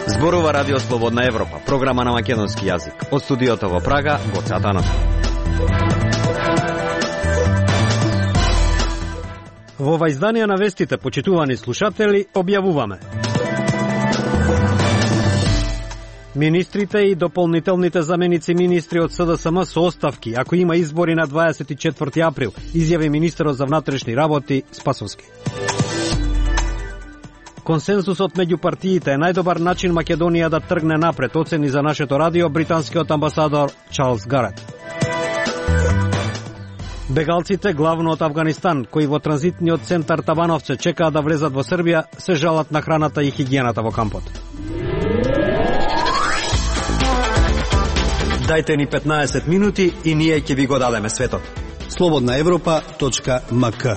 Зборува Радио Слободна Европа, програма на македонски јазик. Од студиото во Прага, Гоце Атанов. Во ова издание на вестите, почитувани слушатели, објавуваме: министрите и дополнителните заменици министри од СДСМ со оставки, ако има избори на 24 април, изјави министерот за внатрешни работи Спасовски. Консенсусот меѓу партиите е најдобар начин Македонија да тргне напред, оцени за нашето радио британскиот амбасадор Чарлс Гарет. Бегалците, главно од Авганистан, кои во транзитниот центар Табановце чекаат да влезат во Србија, се жалат на храната и хигиената во кампот. Дајте ни 15 минути и ние ќе ви го дадеме светот. slobodnaevropa.mk.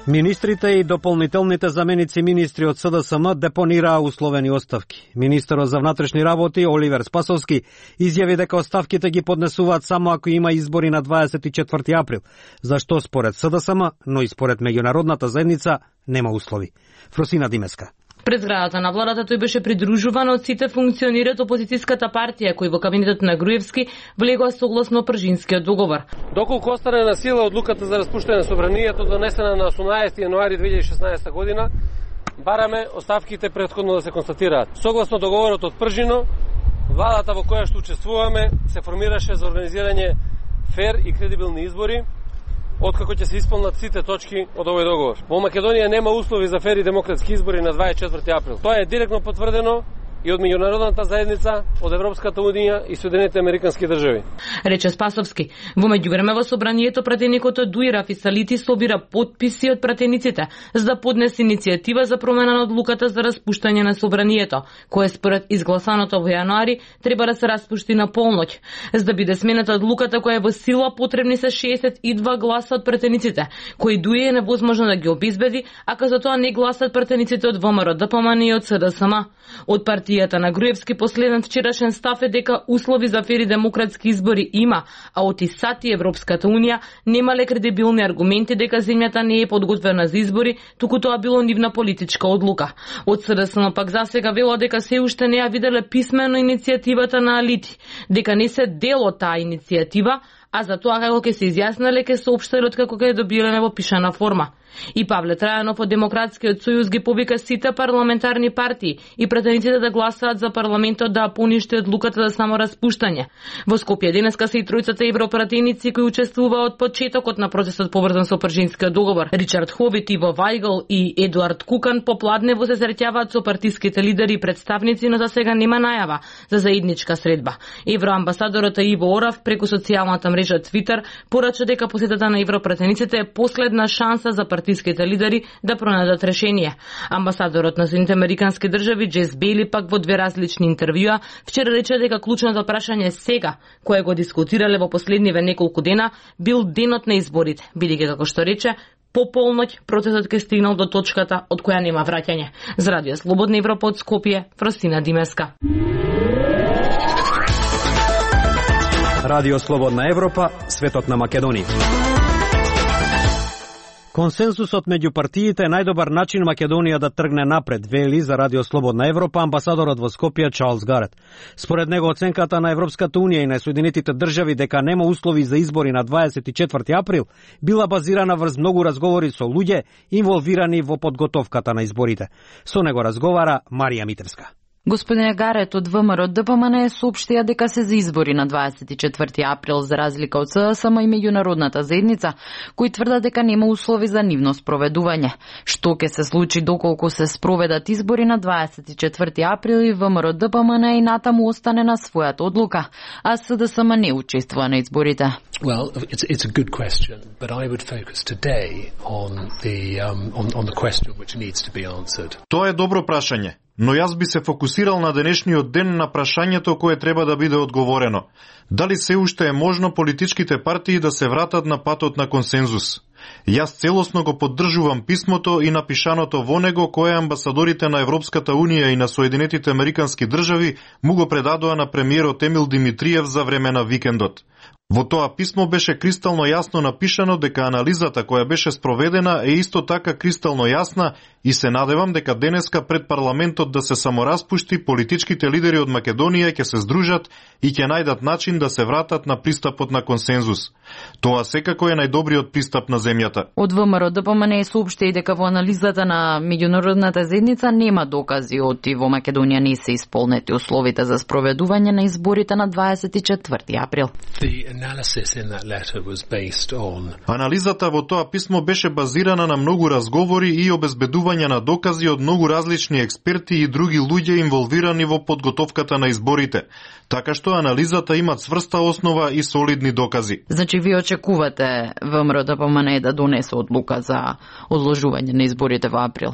Министрите и дополнителните заменици министри од СДСМ депонираа условени оставки. Министерот за внатрешни работи Оливер Спасовски изјави дека оставките ги поднесуваат само ако има избори на 24 април, зашто според СДСМ, но и според меѓународната заедница, нема услови. Фросина Димеска. Пред зградата на владата тој беше придружуван од сите функционери од опозицијската партија, кои во кабинетот на Груевски влегоа согласно Пржинскиот договор. Доколку остане на сила одлуката за распуштање на собранието донесена на 18 јануари 2016 година, бараме оставките претходно да се констатираат. Согласно договорот од Пржино, владата во која што учествуваме се формираше за организирање фер и кредибилни избори, откако ќе се исполнат сите точки од овој договор. Во Македонија нема услови за фер и демократски избори на 24 април. Тоа е директно потврдено и од меѓународната заедница, од Европската унија и Соединетите американски држави. Рече Спасовски. Во меѓувреме во собранието пратеникот од Дуира Фисалити собира потписи од пратениците за да поднесе иницијатива за промена на одлуката за распуштање на собранието, кое според изгласаното во јануари треба да се распушти на полноќ. За да биде смената одлуката која е во сила, потребни се 62 гласа од пратениците, кои Дуи е невозможно да ги обезбеди, ако за тоа не гласат пратениците од ВМРО, ДПМН и од СДСМ. Од партијата на Груевски последен вчерашен став е дека услови за фери демократски избори има, а од ИСАТ и Европската унија немале кредибилни аргументи дека земјата не е подготвена за избори, туку тоа било нивна политичка одлука. Од СДСМ пак засега вело дека се уште не ја виделе писмено иницијативата на Алити, дека не се дел од таа иницијатива, а за тоа како ќе се изјаснале ќе соопштеле откако ќе добиле во пишана форма. И Павле Трајанов од Демократскиот сојуз ги повика сите парламентарни партии и пратениците да гласаат за парламентот да поништи одлуката за само распуштање. Во Скопје денеска се и тројцата европратеници кои учествуваа од почетокот на процесот поврзан со Пржинскиот договор. Ричард Ховит, Иво Вајгл и Едуард Кукан попладнево се среќаваат со партиските лидери и представници, но за сега нема најава за заедничка средба. Евроамбасадорот Иво Орав преку социјалната мрежа Твитер порача дека посетата на европратениците е последна шанса за партиските лидери да пронајдат решение. Амбасадорот на Соединетите американски држави Джес Бейли пак во две различни интервјуа вчера рече дека клучното прашање сега, кое го дискутирале во последниве неколку дена, бил денот на изборите, бидејќи како што рече, по полноќ процесот ке стигнал до точката од која нема враќање. За Радио Слободна Европа од Скопје, Фросина Димеска. Радио Слободна Европа, светот на Македонија. Консенсусот меѓу партиите е најдобар начин Македонија да тргне напред, вели за Радио Слободна Европа амбасадорот во Скопје Чарлс Гарет. Според него оценката на Европската унија и на Соединетите држави дека нема услови за избори на 24 април била базирана врз многу разговори со луѓе инволвирани во подготовката на изборите. Со него разговара Марија Митевска. Господин Гарет од ВМРО ДПМН соопштија дека се за избори на 24 април за разлика од СДСМ и меѓународната заедница, кои тврдат дека нема услови за нивно спроведување. Што ќе се случи доколку се спроведат избори на 24 април и ВМРО ДПМН и натаму остане на својата одлука, а СДСМ не учествува на изборите? Well, it's a good question, but I would focus today on the question which needs to be answered. Тоа е добро прашање, но јас би се фокусирал на денешниот ден на прашањето кое треба да биде одговорено. Дали се уште е можно политичките партии да се вратат на патот на консензус? Јас целосно го поддржувам писмото и напишаното во него кое амбасадорите на Европската унија и на Соединетите американски држави му го предадоа на премиерот Емил Димитриев за време на викендот. Во тоа писмо беше кристално јасно напишано дека анализата која беше спроведена е исто така кристално јасна и се надевам дека денеска пред парламентот да се самораспушти, политичките лидери од Македонија ќе се здружат и ќе најдат начин да се вратат на пристапот на консензус. Тоа секако е најдобриот пристап на земјата. Од ВМРО ДПМН соопшти и дека во анализата на меѓународната заедница нема докази оти во Македонија не се исполнети условите за спроведување на изборите на 24 април. Анализата во тоа писмо беше базирана на многу разговори и обезбедување на докази од многу различни експерти и други луѓе инволвирани во подготовката на изборите, така што анализата има цврста основа и солидни докази. Значи ви очекувате ВМРО ДПМН да донесе одлука за одложување на изборите во април?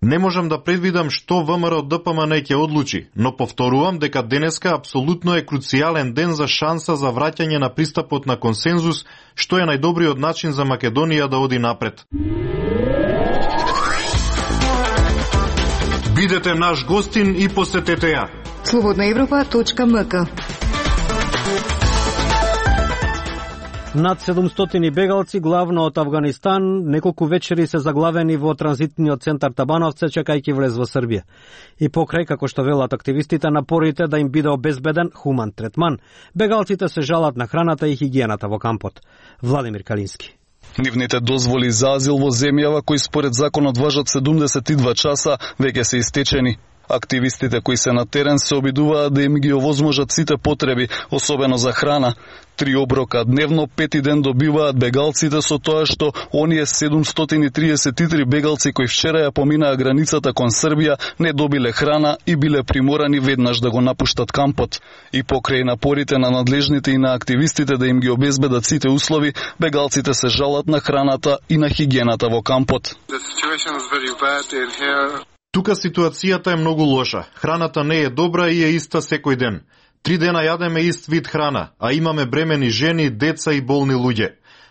Не можам да предвидам што ВМРО ДПМН ќе одлучи, но повторувам дека денеска апсолутно е круцијален ден за шанса за враќање на пристапот на консензус, што е најдобриот начин за Македонија да оди напред. Бидете наш гостин и посетете ја. Slobodnaevropa.mk. Над 700 бегалци, главно од Авганистан, неколку вечери се заглавени во транзитниот центар Табановце, чекајќи влез во Србија. И покрај, како што велат активистите, напорите да им биде обезбеден хуман третман, бегалците се жалат на храната и хигиената во кампот. Владимир Калински. Нивните дозволи за азил во земјава, кои според законот важат 72 часа, веќе се истечени. Активистите кои се на терен се обидуваат да им ги овозможат сите потреби, особено за храна. 3 оброка дневно, 5 ден добиваат бегалците, со тоа што оние 733 бегалци кои вчера ја поминаа границата кон Србија не добиле храна и биле приморани веднаш да го напуштат кампот. И покрај напорите на надлежните и на активистите да им ги обезбедат сите услови, бегалците се жалат на храната и на хигиената во кампот. Тука ситуацијата е многу лоша. Храната не е добра и е иста секој ден. 3 дена јадеме ист вид храна, а имаме бремени жени, деца и болни луѓе.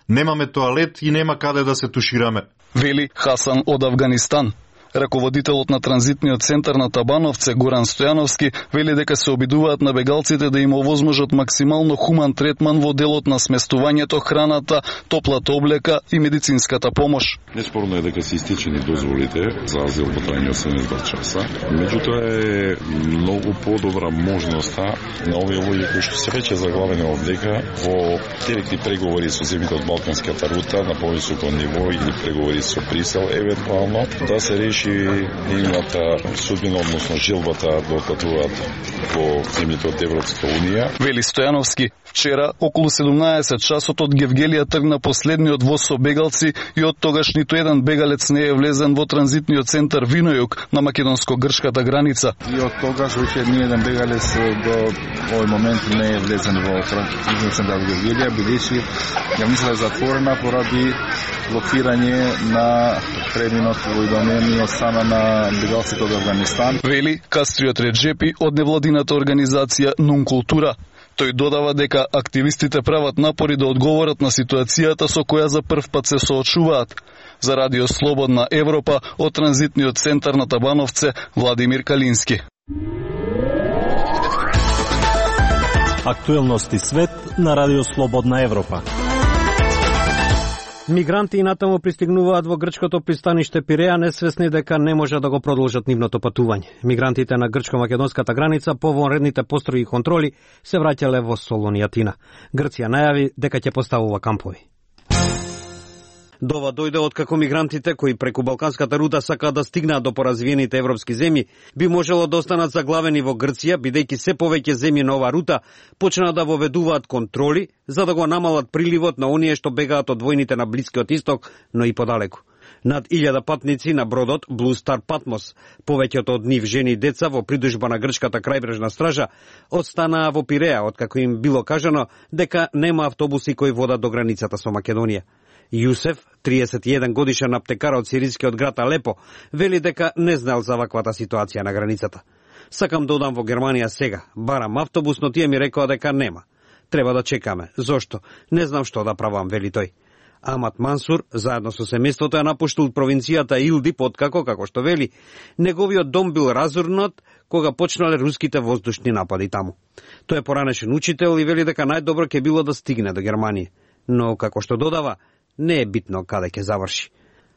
Немаме тоалет и нема каде да се тушираме. Вели Хасан од Авганистан. Раководителот на транзитниот центар на Табановце, Горан Стојановски, вели дека се обидуваат на бегалците да им овозможат максимално хуман третман во делот на сместувањето, храната, топлата облека и медицинската помош. Неспорно е дека се истечени дозволите за азил во трајање 72 часа, меѓутоа е многу подобра можноста на овие луѓе кои што се веќе заглавени овдека во директни преговори со земјите од Балканската рута на повисоко ниво или преговори со Брисел евентуално да се реши нивната судбина, односно желбата да отпатуваат во земјите од Европска унија. Вели Стојановски, вчера околу 17 часот од Гевгелија тргна последниот воз со бегалци и од тогаш ниту еден бегалец не е влезен во транзитниот центар Винојук на македонско-грчката граница. И од тогаш веќе ни еден бегалец до овој момент не е влезен во транзитниот центар Гевгелија, бидејќи границата е затворена поради блокирање на преминот во идомени од страна на бегалците од Авганистан. Вели Кастриот Реджепи од невладината организација Нункултура. Тој додава дека активистите прават напори да одговорат на ситуацијата со која за прв пат се соочуваат. За Радио Слободна Европа од транзитниот центар на Табановце, Владимир Калински. Актуелности свет на Радио Слободна Европа. Мигранти и натаму пристигнуваат во грчкото пристаниште Пиреа, несвесни дека не може да го продолжат нивното патување. Мигрантите на грчко-македонската граница по вонредните построги и контроли се враќале во Солон и Атина. Грција најави дека ќе поставува кампови. Дова дојде откако мигрантите кои преку Балканската рута сакаат да стигнаат до поразвиените европски земји, би можело да останат заглавени во Грција, бидејќи се повеќе земји на оваа рута почнаа да воведуваат контроли за да го намалат приливот на оние што бегаат од војните на Блискиот Исток, но и подалеку. Над 1000 патници на бродот Blue Star Patmos, повеќето од нив жени и деца во придужба на грчката крајбрежна стража, останаа во Пиреа, откако им било кажано дека нема автобуси кои водат до границата со Македонија. Јусеф, 31 годишен аптекар од сирискиот град Алепо, вели дека не знал за ваквата ситуација на границата. Сакам да одам во Германија сега, барам автобус, но тие ми рекоа дека нема. Треба да чекаме. Зошто? Не знам што да правам, вели тој. Амат Мансур, заедно со семејството, ја напуштил провинцијата Илдип, откако, како што вели, неговиот дом бил разурнат кога почнале руските воздушни напади таму. Тој е поранешен учител и вели дека најдобро ќе било да стигне до Германија. Но, како што додава, не е битно каде ќе заврши.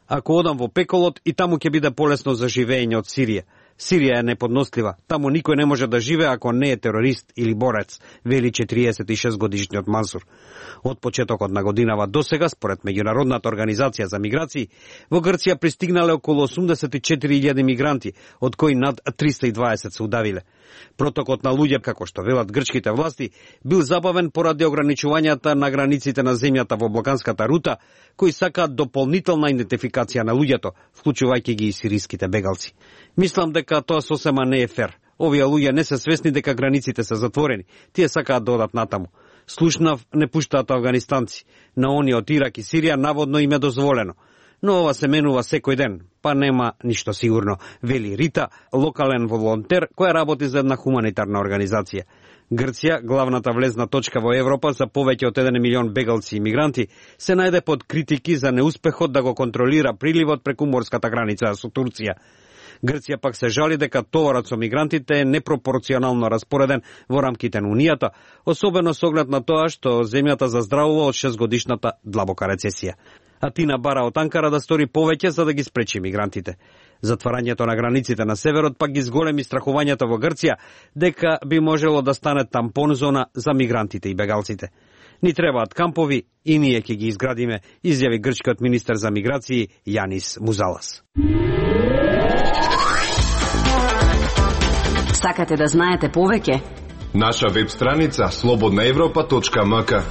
Ако одам во пеколот, и таму ќе биде полесно за живење од Сирија. Сирија е неподнослива. Таму никој не може да живее ако не е терорист или борец, вели 46 годишниот Мансур. Од почетокот на годинава до сега, според Меѓународната организација за миграции, во Грција пристигнале околу 84.000 мигранти, од кои над 320 се удавиле. Протокот на луѓе, како што велат грчките власти, бил забавен поради ограничувањата на границите на земјата во Балканската рута, кои сакаат дополнителна идентификација на луѓето, вклучувајќи ги и сириските бегалци. Мислам дека тоа сосема не е фер. Овие луѓе не се свесни дека границите се затворени. Тие сакаат да одат натаму. Слушнав, не пуштаат афганистанци. На оние од Ирак и Сирија наводно им е дозволено. Но ова се менува секој ден, па нема ништо сигурно, вели Рита, локален волонтер која работи за една хуманитарна организација. Грција, главната влезна точка во Европа за повеќе од 1 милион бегалци и мигранти, се најде под критики за неуспехот да го контролира приливот преку морската граница со Турција. Грција пак се жали дека товарот со мигрантите е непропорционално распореден во рамките на Унијата, особено со оглед на тоа што земјата заздравува од 6-годишната длабока рецесија. Атина бара од Анкара да стори повеќе за да ги спречи мигрантите. Затварањето на границите на северот пак ги зголеми страхувањето во Грција дека би можело да стане тампон зона за мигрантите и бегалците. Ни требаат кампови и ние ќе ги изградиме, изјави грчкиот министер за миграции Јанис Музалас. Сакате да знаете повеќе? Наша веб страница slobodnaevropa.mk.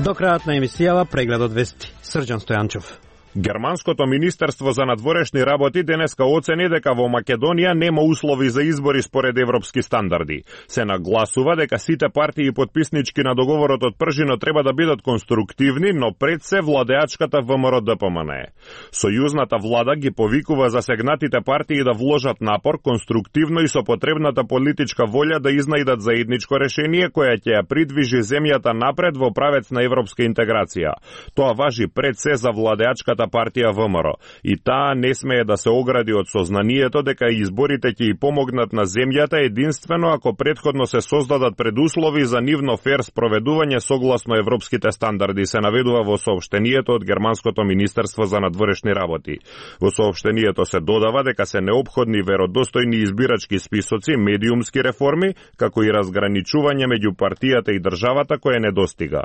До крајот на емисијава прегледот вести. Срđan Стојанчов. Германското министерство за надворешни работи денеска оцени дека во Македонија нема услови за избори според европски стандарди. Се нагласува дека сите партии потписнички на договорот од Пржино треба да бидат конструктивни, но пред се владеачката ВМРО-ДПМН. Сојузната влада ги повикува засегнатите партии да вложат напор конструктивно и со потребната политичка волја да изнајдат заедничко решение кое ќе ја придвижи земјата напред во правец на европска интеграција. Тоа важи пред се за владеачката партија ВМРО и таа не смее да се огради од сознанието дека изборите ќе и помогнат на земјата единствено ако претходно се создадат предуслови за нивно фер спроведување согласно европските стандарди, се наведува во соопштението од Германското министерство за надворешни работи. Во соопштението се додава дека се неопходни веродостојни избирачки списоци, медиумски реформи, како и разграничување меѓу партијата и државата кое недостига.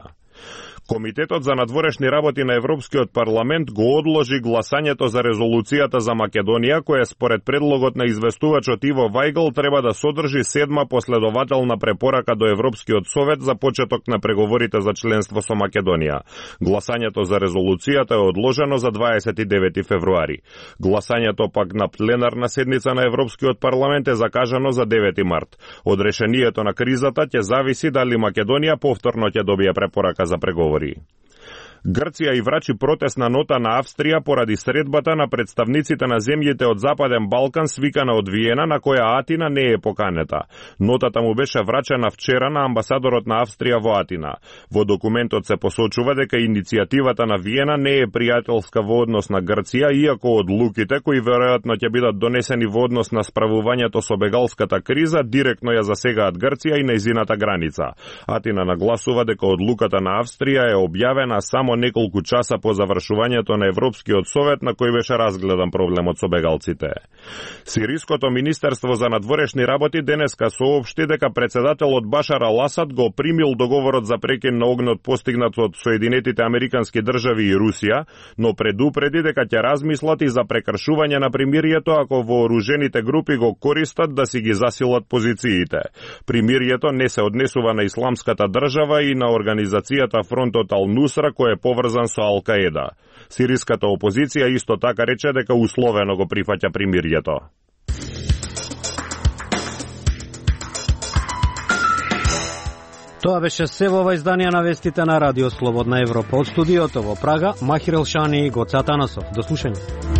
Комитетот за надворешни работи на Европскиот парламент го одложи гласањето за резолуцијата за Македонија, која според предлогот на известувачот Иво Вајгл треба да содржи 7 последователна препорака до Европскиот совет за почеток на преговорите за членство со Македонија. Гласањето за резолуцијата е одложено за 29 февруари. Гласањето пак на пленарна седница на Европскиот парламент е закажано за 9 март. Од решението на кризата ќе зависи дали Македонија повторно ќе добие препорака за преговори. Грција и врачи протестна нота на Австрија поради средбата на представниците на земјите од Западен Балкан свикана од Виена, на која Атина не е поканета. Нотата му беше врачена вчера на амбасадорот на Австрија во Атина. Во документот се посочува дека иницијативата на Виена не е пријателска во однос на Грција, иако одлуките кои веројатно ќе бидат донесени во однос на справувањето со бегалската криза директно ја засегаат Грција и нејзината граница. Атина нагласува дека одлуката на Австрија е објавена само неколку часа по завршувањето на Европскиот совет на кој беше разгледан проблемот со бегалците. Сириското министерство за надворешни работи денеска соопшти дека председателот Башар ал-Асад го примил договорот за прекин на огнот постигнат од Соединетите Американски држави и Русија, но предупреди дека ќе размислат и за прекршување на примирието ако вооружените групи го користат да си ги засилат позициите. Примирието не се однесува на исламската држава и на организацијата Фронтот Ал-Нусра кој е поврзан со Ал-Каеда. Сириската опозиција исто така рече дека условено го прифаќа примирието. Тоа беше се во ова издание на вестите на Радио Слободна Европа. Од студиото во Прага, Махир Елшани и Гоца Танасов. До слушање.